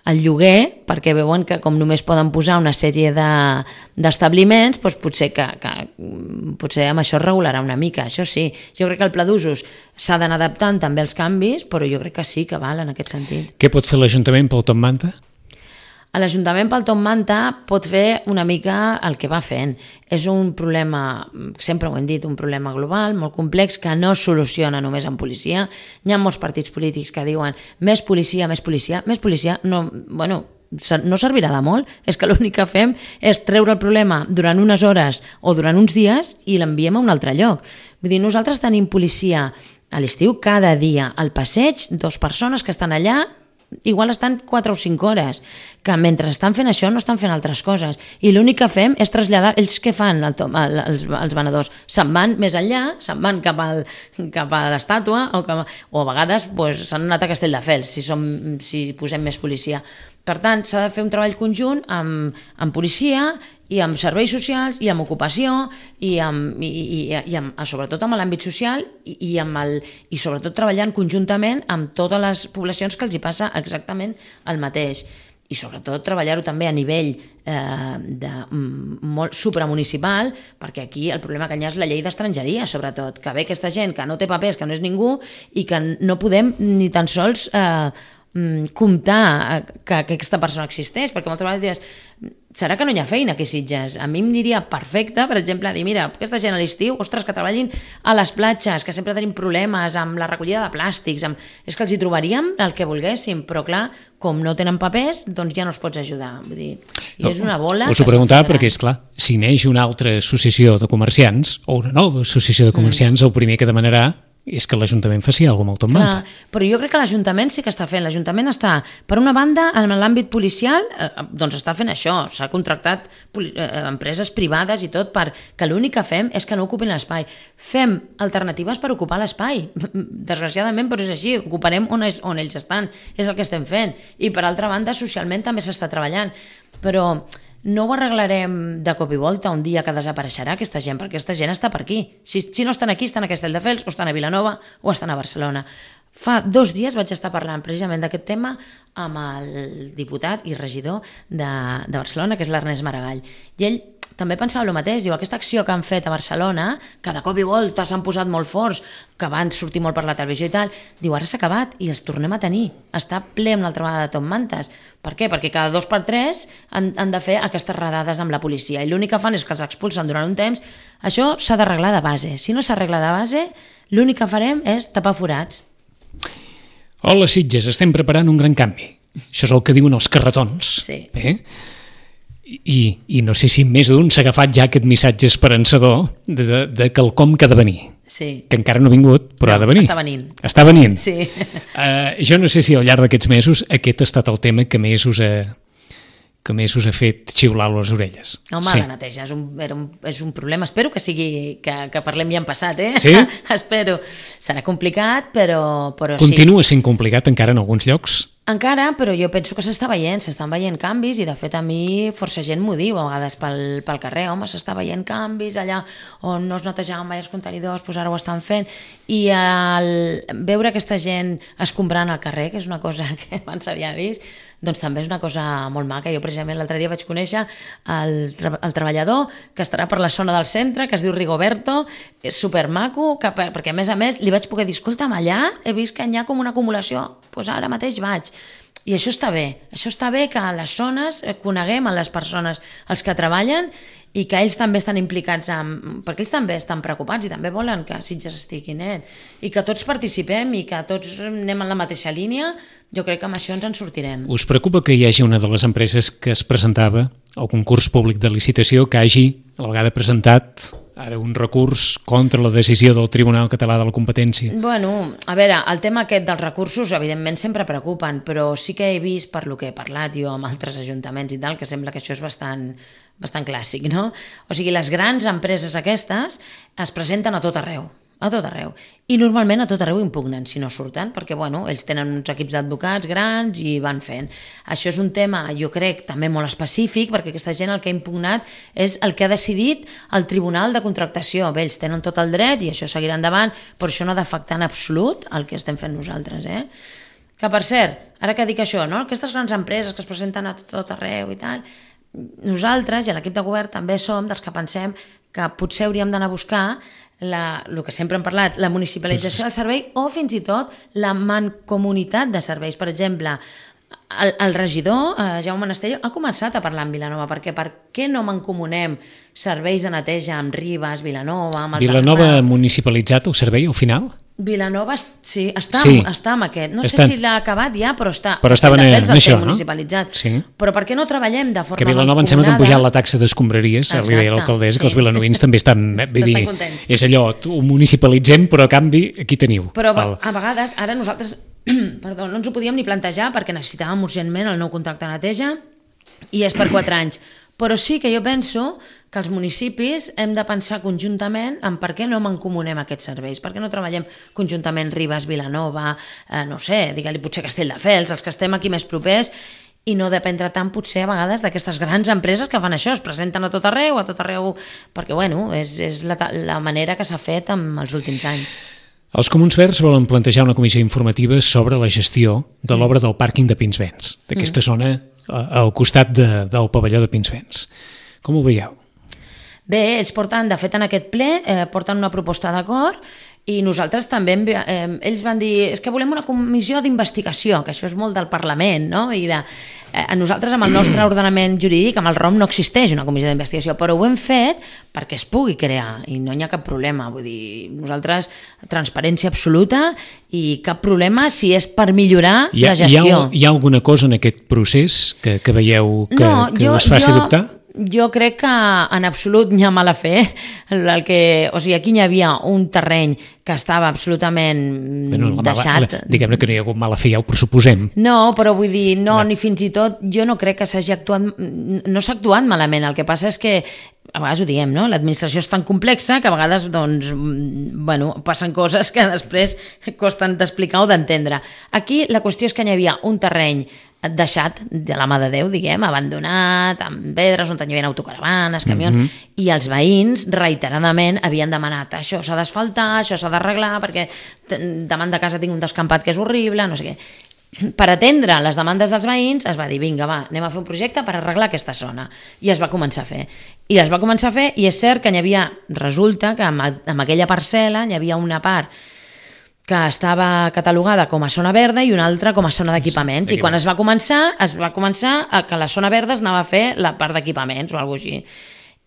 Speaker 3: el lloguer perquè veuen que com només poden posar una sèrie d'establiments, doncs potser amb això es regularà una mica. Això sí, jo crec que el pla d'usos s'ha d'anar adaptant també als canvis, però jo crec que sí que val en aquest sentit.
Speaker 2: Què pot fer l'Ajuntament pel top manta?
Speaker 3: L'Ajuntament pel top manta pot fer una mica el que va fent. És un problema, sempre ho hem dit, un problema global, molt complex, que no es soluciona només amb policia. Hi ha molts partits polítics que diuen més policia, no servirà de molt. És que l'únic que fem és treure el problema durant unes hores o durant uns dies i l'enviem a un altre lloc. Vull dir, nosaltres tenim policia a l'estiu cada dia al passeig, 2 persones que estan allà, igual estan 4 o 5 hores, que mentre estan fent això no estan fent altres coses, i l'únic que fem és traslladar. Ells què fan, els venedors? Se'n van més enllà, se'n van cap a l'estàtua o a vegades s'han anat a Castelldefels si posem més policia. Per tant, s'ha de fer un treball conjunt amb policia i amb serveis socials i amb ocupació i sobretot amb l'àmbit social i sobretot treballant conjuntament amb totes les poblacions que els hi passa exactament el mateix. I sobretot treballar-ho també a nivell molt supramunicipal, perquè aquí el problema que hi ha és la llei d'estrangeria, sobretot, que ve aquesta gent que no té papers, que no és ningú i que no podem ni tan sols comptar que aquesta persona existeix, perquè moltes vegades dius, serà que no hi ha feina aquí a Sitges? A mi em aniria perfecte, per exemple, dir, mira, aquesta gent a l'estiu, ostres, que treballin a les platges, que sempre tenim problemes amb la recollida de plàstics, és que els hi trobaríem el que volguéssim, però clar, com no tenen papers, doncs ja no els pots ajudar. Vull dir, i és una bola...
Speaker 2: Us ho preguntava perquè, esclar, si neix una altra associació de comerciants, o una nova associació de comerciants, el primer que demanarà és que l'Ajuntament faci alguna cosa amb el Top Manta.
Speaker 3: Però jo crec que l'Ajuntament sí que està fent. L'Ajuntament està, per una banda, en l'àmbit policial, doncs està fent això. S'ha contractat empreses privades i tot perquè l'únic que fem és que no ocupin l'espai. Fem alternatives per ocupar l'espai. Desgraciadament, però és així. Ocuparem on ells estan. És el que estem fent. I per altra banda, socialment també s'està treballant. Però no ho arreglarem de cop i volta un dia que desapareixerà aquesta gent, perquè aquesta gent està per aquí. Si no estan aquí, estan a Castelldefels, o estan a Vilanova, o estan a Barcelona. Fa 2 dies vaig estar parlant precisament d'aquest tema amb el diputat i regidor de Barcelona, que és l'Ernest Maragall. I ell també pensava el mateix, diu, aquesta acció que han fet a Barcelona, que de cop i volta s'han posat molt forts, que van sortir molt per la televisió i tal, diu, ara s'ha acabat i els tornem a tenir. Està ple amb l'altra vegada de Top Mantes. Per què? Perquè cada 2 per 3 han de fer aquestes redades amb la policia i l'únic que fan és que els expulsen durant un temps. Això s'ha d'arreglar de base. Si no s'arregla de base, l'únic que farem és tapar forats.
Speaker 2: Hola, Sitges, estem preparant un gran canvi. Això és el que diuen els carretons.
Speaker 3: Sí.
Speaker 2: I no sé si més d'un s'ha agafat ja aquest missatge esperançador de quelcom que ha de venir.
Speaker 3: Sí.
Speaker 2: Que encara no ha vingut, però ha de venir.
Speaker 3: Està venint.
Speaker 2: Està venint.
Speaker 3: Sí.
Speaker 2: Jo no sé si al llarg d'aquests mesos aquest ha estat el tema que més us ha fet xiular les orelles.
Speaker 3: Home, sí. La neteja és un problema. Espero que sigui que parlem ja en passat,
Speaker 2: Sí?
Speaker 3: Espero. Serà complicat, però sí.
Speaker 2: Continua sent complicat encara en alguns llocs?
Speaker 3: Encara, però jo penso que s'estan veient canvis i de fet a mi força gent m'ho diu a vegades pel carrer, home, s'està veient canvis allà on no es netejaven mai els contenidors, doncs ara ho estan fent, i veure aquesta gent escombrant al carrer, que és una cosa que abans s'havia vist, doncs també és una cosa molt maca. Jo precisament l'altre dia vaig conèixer el treballador que estarà per la zona del centre, que es diu Rigoberto, és supermaco, perquè a més li vaig poder dir, escolta'm, allà he vist que hi ha com una acumulació, doncs ara mateix vaig. I això està bé que a les zones coneguem a les persones, els que treballen, i que ells també estan implicats perquè ells també estan preocupats i també volen que Sitges estigui net i que tots participem i que tots anem en la mateixa línia. Jo crec que amb això ens en sortirem.
Speaker 2: Us preocupa que hi hagi una de les empreses que es presentava al concurs públic de licitació que hagi a la vegada presentat ara un recurs contra la decisió del Tribunal Català de la Competència?
Speaker 3: Bueno, a veure, el tema aquest dels recursos evidentment sempre preocupen, però sí que he vist per lo que he parlat jo amb altres ajuntaments i tal, que sembla que això és bastant clàssic, no? O sigui, les grans empreses aquestes es presenten a tot arreu, i normalment a tot arreu impugnen si no surten, perquè bueno, ells tenen uns equips d'advocats grans i van fent. Això és un tema, jo crec, també molt específic, perquè aquesta gent el que ha impugnat és el que ha decidit el Tribunal de Contractació. Bé, ells tenen tot el dret i això seguirà endavant, però això no ha d'afectar en absolut el que estem fent nosaltres, Que per cert, ara que dic això, no? Aquestes grans empreses que es presenten a tot arreu i tal, nosaltres i l'equip de govern també som dels que pensem que potser hauríem d'anar a buscar el que sempre hem parlat, la municipalització del servei o fins i tot la mancomunitat de serveis. Per exemple, el regidor, Jaume Monasterio, ha començat a parlar amb Vilanova, perquè per què no mancomunem serveis de neteja amb Ribes, Vilanova, amb els
Speaker 2: Vilanova ha municipalitzat el servei al final?
Speaker 3: Vilanova, sí, està amb aquest. No sé si l'ha acabat ja, però està.
Speaker 2: Però estaven en això, no?
Speaker 3: Municipalitzat.
Speaker 2: Sí.
Speaker 3: Però per què no treballem de forma
Speaker 2: mancomunada? Que Vilanova em sembla que han pujat la taxa d'escombraries, li deia l'alcaldessa, que els vilanovins també estan
Speaker 3: contents.
Speaker 2: És allò, ho municipalitzem, però a canvi aquí teniu.
Speaker 3: Però a vegades, ara nosaltres no ens ho podíem ni plantejar perquè necessitàvem urgentment el nou contracte de neteja i és per 4 anys. Però sí que jo penso que els municipis hem de pensar conjuntament en per què no mancomunem aquests serveis, per què no treballem conjuntament Ribes, Vilanova, no sé, digue-li potser Castelldefels, els que estem aquí més propers, i no dependre tant potser a vegades d'aquestes grans empreses que fan això, es presenten a tot arreu, perquè bueno, és la manera que s'ha fet en els últims anys.
Speaker 2: Els Comuns Verds volen plantejar una comissió informativa sobre la gestió de l'obra del pàrquing de Pinsbens, d'aquesta zona al costat del pavelló de Pinsbens. Com ho veieu?
Speaker 3: Bé, ells porten, de fet en aquest ple, porten una proposta d'acord i nosaltres també, ells van dir, és que volem una comissió d'investigació, que això és molt del Parlament, no? I nosaltres amb el nostre ordenament jurídic, amb el ROM no existeix una comissió d'investigació, però ho hem fet perquè es pugui crear i no hi ha cap problema, vull dir, nosaltres transparència absoluta i cap problema si és per millorar la gestió.
Speaker 2: Hi ha alguna cosa en aquest procés que veieu que us faci dubtar?
Speaker 3: jo crec que en absolut n'hi ha mala fe. O sigui, aquí n'hi havia un terreny que estava absolutament deixat.
Speaker 2: Diguem-ne que no hi ha hagut mala fe, ja ho pressuposem.
Speaker 3: No, però vull dir, ni fins i tot, jo no crec que s'hagi actuat, no s'ha actuat malament, el que passa és que, a vegades ho diem, no? L'administració és tan complexa que a vegades, doncs, passen coses que després costen d'explicar o d'entendre. Aquí la qüestió és que n'hi havia un terreny deixat de la mà de Déu, diguem, abandonat, amb pedres, on hi havia autocaravanes, camions, i els veïns reiteradament havien demanat això s'ha d'asfaltar, això s'ha d'arreglar, perquè davant de casa tinc un descampat que és horrible, no sé què. Per atendre les demandes dels veïns es va dir, vinga, va, anem a fer un projecte per arreglar aquesta zona. I es va començar a fer. I és cert que resulta que en aquella parcel·la hi havia una part que estava catalogada com a zona verda i una altra com a zona d'equipaments. I quan es va començar a que la zona verda es anava a fer la part d'equipaments o alguna cosa així.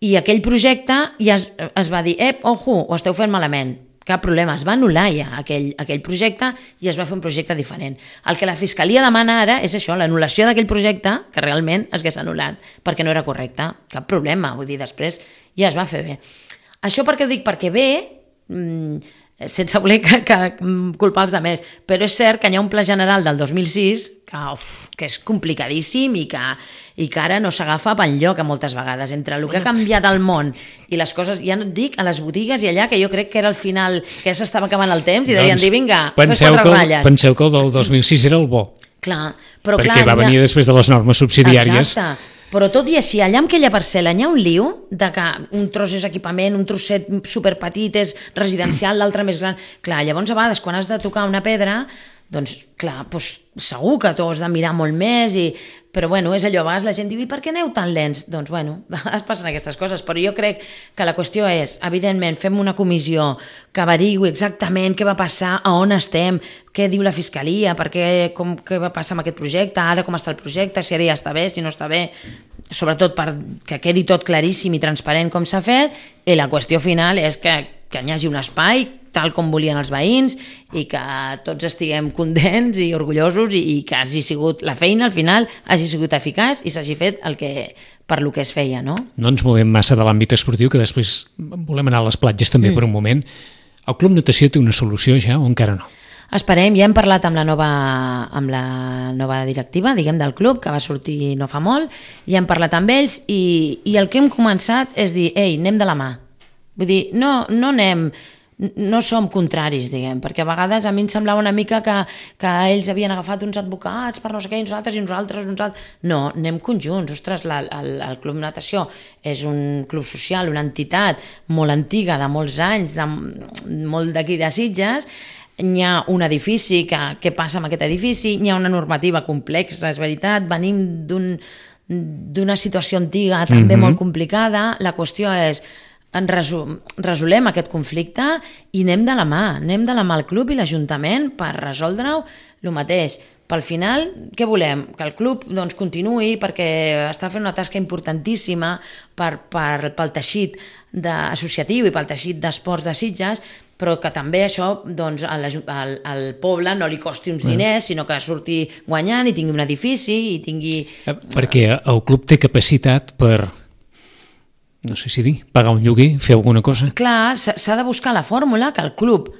Speaker 3: I aquell projecte ja es va dir, ojo, ho esteu fent malament. Cap problema, es va anul·lar ja aquell projecte i es va fer un projecte diferent. El que la Fiscalia demana ara és això, l'anul·lació d'aquell projecte que realment es hagués anul·lat perquè no era correcte. Cap problema, vull dir, després ja es va fer bé. Això per què ho dic? Perquè bé, sense voler culpar els altres, però és cert que hi ha un pla general del 2006 que és complicadíssim i que ara no s'agafa pel lloc a moltes vegades. Entre el que ha canviat el món i les coses, ja no et dic, a les botigues i allà, que jo crec que era el final, que ja s'estava acabant el temps i deien dir, vinga, fes 4 ratlles.
Speaker 2: Penseu que el del 2006 era el bo.
Speaker 3: Clar, però
Speaker 2: perquè va venir després de les normes subsidiàries.
Speaker 3: Exacte. Però tot i així, allà en aquella parcel·la hi ha un liu de que un tros és equipament, un trosset superpetit és residencial, l'altre més gran. Clar, llavors a vegades quan has de tocar una pedra, doncs clar, segur que tu has de mirar molt més, però bueno, és allò, a vegades la gent diu, i per què aneu tan lents? Doncs bueno, a vegades passen aquestes coses, però jo crec que la qüestió és, evidentment, fem una comissió que averigui exactament què va passar, a on estem, què diu la Fiscalia, què va passar amb aquest projecte, ara com està el projecte, si ara ja està bé, si no està bé, sobretot perquè quedi tot claríssim i transparent com s'ha fet, i la qüestió final és que hi hagi un espai tal com volien els veïns i que tots estiguem contents i orgullosos i que hagi sigut la feina al final, hagi sigut eficaç i s'hagi fet per lo que es feia, no?
Speaker 2: No ens movem massa de l'àmbit esportiu, que després volem anar a les platges també per un moment. El Club Natació té una solució ja o encara no?
Speaker 3: Esperem, ja hem parlat amb la nova directiva, diguem, del club, que va sortir no fa molt, ja hem parlat amb ells i el que hem començat és dir, ei, anem de la mà. Vull dir, no som contraris, diguem, perquè a vegades a mi em semblava una mica que ells havien agafat uns advocats per no sé què, i nosaltres. No, anem conjunts. Ostres, el Club Natació és un club social, una entitat molt antiga, de molts anys, molt d'aquí de Sitges. Hi ha un edifici, què passa amb aquest edifici? Hi ha una normativa complexa, és veritat, venim d'una situació antiga també molt complicada. La qüestió és, resolem aquest conflicte i anem de la mà al club i l'Ajuntament per resoldre-ho el mateix. Pel final, què volem? Que el club continuï perquè està fent una tasca importantíssima pel teixit associatiu i pel teixit d'esports de Sitges, però que també això al poble no li costi uns diners, sinó que surti guanyant i tingui un edifici i tingui...
Speaker 2: Perquè el club té capacitat per... no sé si dir, pagar un lloguer, fer alguna cosa.
Speaker 3: Clar, s'ha de buscar la fórmula que el club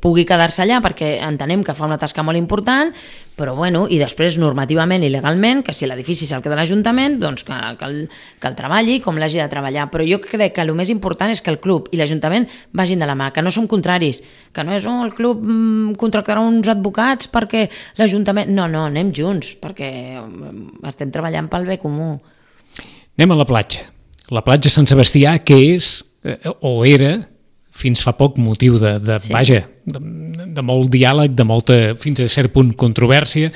Speaker 3: pugui quedar-se allà perquè entenem que fa una tasca molt important, però bueno, i després normativament i legalment, que si l'edifici se'l queda l'Ajuntament, doncs que el treballi com l'hagi de treballar. Però jo crec que el més important és que el club i l'Ajuntament vagin de la mà, que no som contraris, que no és el club contractarà uns advocats perquè l'Ajuntament... No, anem junts, perquè estem treballant pel bé comú.
Speaker 2: Anem a la platja. La platja Sant Sebastià, que és, o era, fins fa poc motiu de molt diàleg, de molta, fins a cert punt, controvèrsia,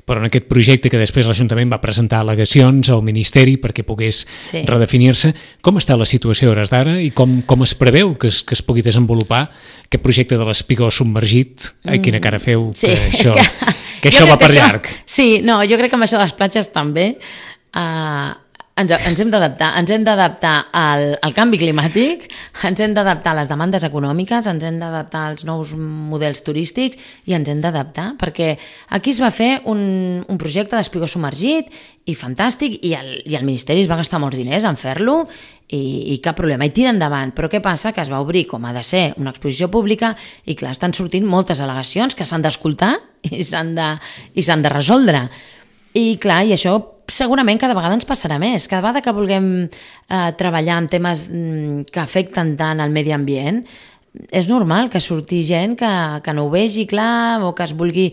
Speaker 2: però en aquest projecte que després l'Ajuntament va presentar al·legacions al Ministeri perquè pogués redefinir-se. Com està la situació a hores d'ara i com es preveu que es pugui desenvolupar aquest projecte de l'espigó submergit? Ai, quina cara feu, que això va per llarg.
Speaker 3: Sí, no, jo crec que amb això de les platges també... ens hem d'adaptar al canvi climàtic, ens hem d'adaptar a les demandes econòmiques, ens hem d'adaptar als nous models turístics i ens hem d'adaptar, perquè aquí es va fer un projecte d'espigó submergit i fantàstic, i el Ministeri es va gastar molts diners en fer-lo i cap problema, i tira endavant. Però què passa? Que es va obrir com ha de ser una exposició pública i clar, estan sortint moltes al·legacions que s'han d'escoltar i s'han de resoldre. I clar, i això segurament cada vegada ens passarà més. Cada vegada que vulguem treballar en temes que afecten tant al medi ambient, és normal que surti gent que no ho vegi clar o que es vulgui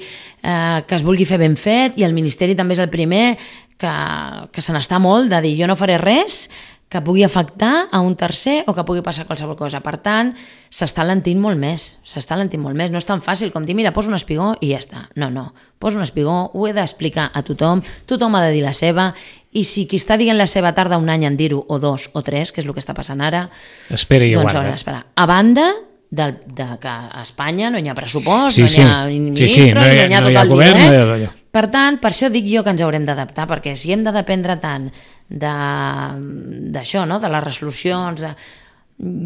Speaker 3: fer ben fet, i el Ministeri també és el primer que se n'està molt de dir jo no faré res que pugui afectar a un tercer o que pugui passar qualsevol cosa. Per tant, s'està alentint molt més. No és tan fàcil com dir, mira, posa un espigó i ja està. No. Posa un espigó, ho he d'explicar a tothom ha de dir la seva, i si qui està dient la seva tarda un any en dir-ho, o 2 o 3, que és el que està passant ara,
Speaker 2: espera i
Speaker 3: doncs
Speaker 2: aguarda.
Speaker 3: haurà d'esperar. A banda de que a Espanya no hi ha pressupost,
Speaker 2: no hi
Speaker 3: ha ministre, no hi ha tot el dia. Per tant, per això dic jo que ens haurem d'adaptar, perquè si hem de dependre tant d'això, no? De les resolucions,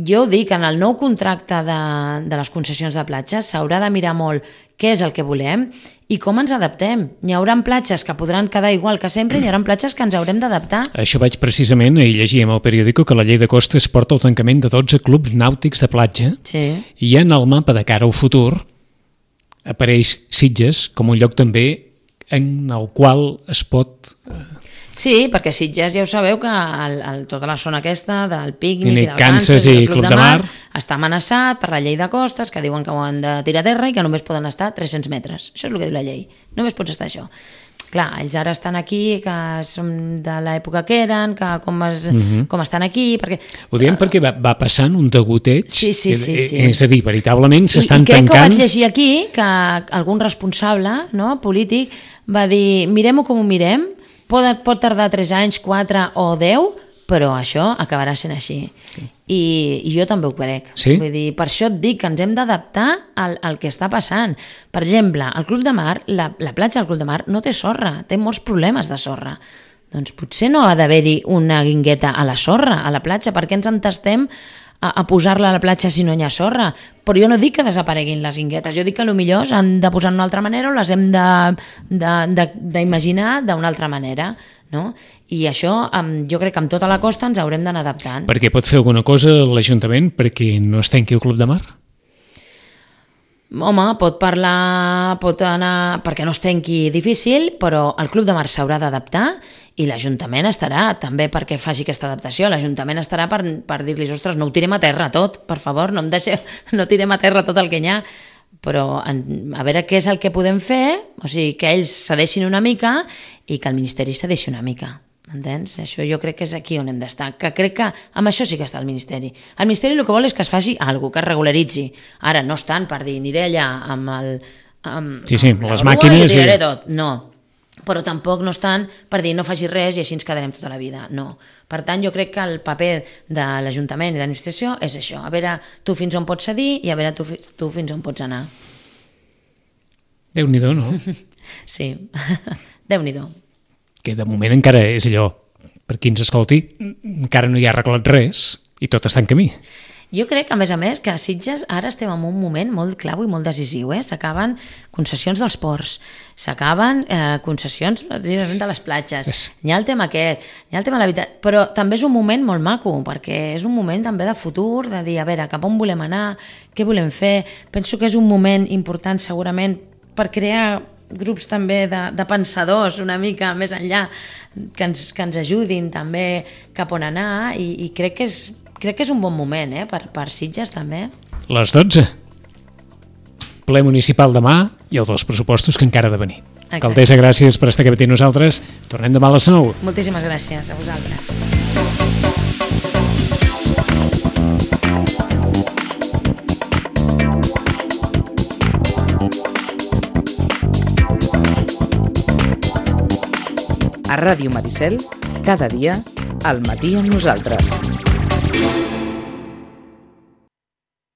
Speaker 3: jo dic, en el nou contracte de les concessions de platges s'haurà de mirar molt què és el que volem i com ens adaptem. N'hi haurà platges que podran quedar igual que sempre i n'hi haurà platges que ens haurem d'adaptar.
Speaker 2: Això vaig precisament, ahir llegíem al periòdico que la llei de costes porta el tancament de 12 clubs nàutics de platja, i en el mapa de cara al futur apareix Sitges com un lloc també en el qual es pot...
Speaker 3: Sí, perquè Sitges ja ho sabeu que tota la zona aquesta del pícnic i del
Speaker 2: Kansas i Club de Mar
Speaker 3: està amenaçat per la llei de costes, que diuen que ho han de tirar a terra i que només poden estar 300 metres. Això és el que diu la llei. Només pots estar això. Clar, ells ara estan aquí, que són de l'època que eren, que com estan aquí...
Speaker 2: Ho diem perquè va passant un degoteig,
Speaker 3: sí.
Speaker 2: És a dir, veritablement s'estan tancant...
Speaker 3: I crec que ho vaig llegir aquí, que algun responsable polític va dir, mirem-ho com ho mirem, pot tardar 3 anys, 4 o 10, però això acabarà sent així. I jo també ho crec.
Speaker 2: Sí?
Speaker 3: Vull dir, per això et dic que ens hem d'adaptar al que està passant. Per exemple, el Club de Mar, la platja del Club de Mar no té sorra, té molts problemes de sorra. Doncs potser no ha d'haver-hi una guingueta a la sorra, a la platja, perquè ens entestem a posar-la a la platja si no hi ha sorra. Però jo no dic que desapareguin les guinguetes, jo dic que potser s'han de posar d'una altra manera o les hem d'imaginar d'una altra manera, no? I això jo crec que amb tota la costa ens haurem d'anar adaptant.
Speaker 2: Per què pot fer alguna cosa l'Ajuntament perquè no es tanqui el Club de Mar?
Speaker 3: Home, pot anar perquè no es tanqui difícil, però el Club de Mar s'haurà d'adaptar i l'Ajuntament estarà també perquè faci aquesta adaptació. L'Ajuntament estarà per dir-los, ostres, no ho tirem a terra tot, per favor, no tirem a terra tot el que hi ha, però a veure què és el que podem fer, o sigui, que ells cedeixin una mica i que el Ministeri cedeixi una mica. Entens? Això jo crec que és aquí on hem d'estar, que crec que amb això sí que està el Ministeri. El Ministeri el que vol és que es faci alguna cosa, que es regularitzi. Ara no estan per dir, aniré allà amb
Speaker 2: les màquines
Speaker 3: i tiraré tot. No, però tampoc no estan per dir no facis res i així ens quedarem tota la vida. No. Per tant, jo crec que el paper de l'Ajuntament i de l'administració és això, a veure tu fins on pots cedir i a veure tu fins on pots anar.
Speaker 2: Déu-n'hi-do, no?
Speaker 3: Sí, Déu-n'hi-do.
Speaker 2: Que de moment encara és allò, per qui ens escolti, encara no hi ha arreglat res i tot està en camí.
Speaker 3: Jo crec, a més, que a Sitges ara estem en un moment molt clau i molt decisiu. S'acaben concessions dels ports, s'acaben concessions de les platges. Hi ha el tema aquest, hi ha el tema de l'habitatge, però també és un moment molt maco, perquè és un moment també de futur, de dir, a veure, cap on volem anar, què volem fer. Penso que és un moment important segurament per crear grups també de pensadors una mica més enllà que ens ajudin també cap on anar i crec que és un bon moment per Sitges també.
Speaker 2: Les 12. Ple municipal demà i els 2 pressupostos que encara ha de venir.
Speaker 3: Exacte.
Speaker 2: Alcaldessa, gràcies per estar aquí amb nosaltres. Tornem demà a les 9.
Speaker 3: Moltíssimes gràcies a vosaltres.
Speaker 1: A Ràdio Maricel, cada dia, al matí amb nosaltres.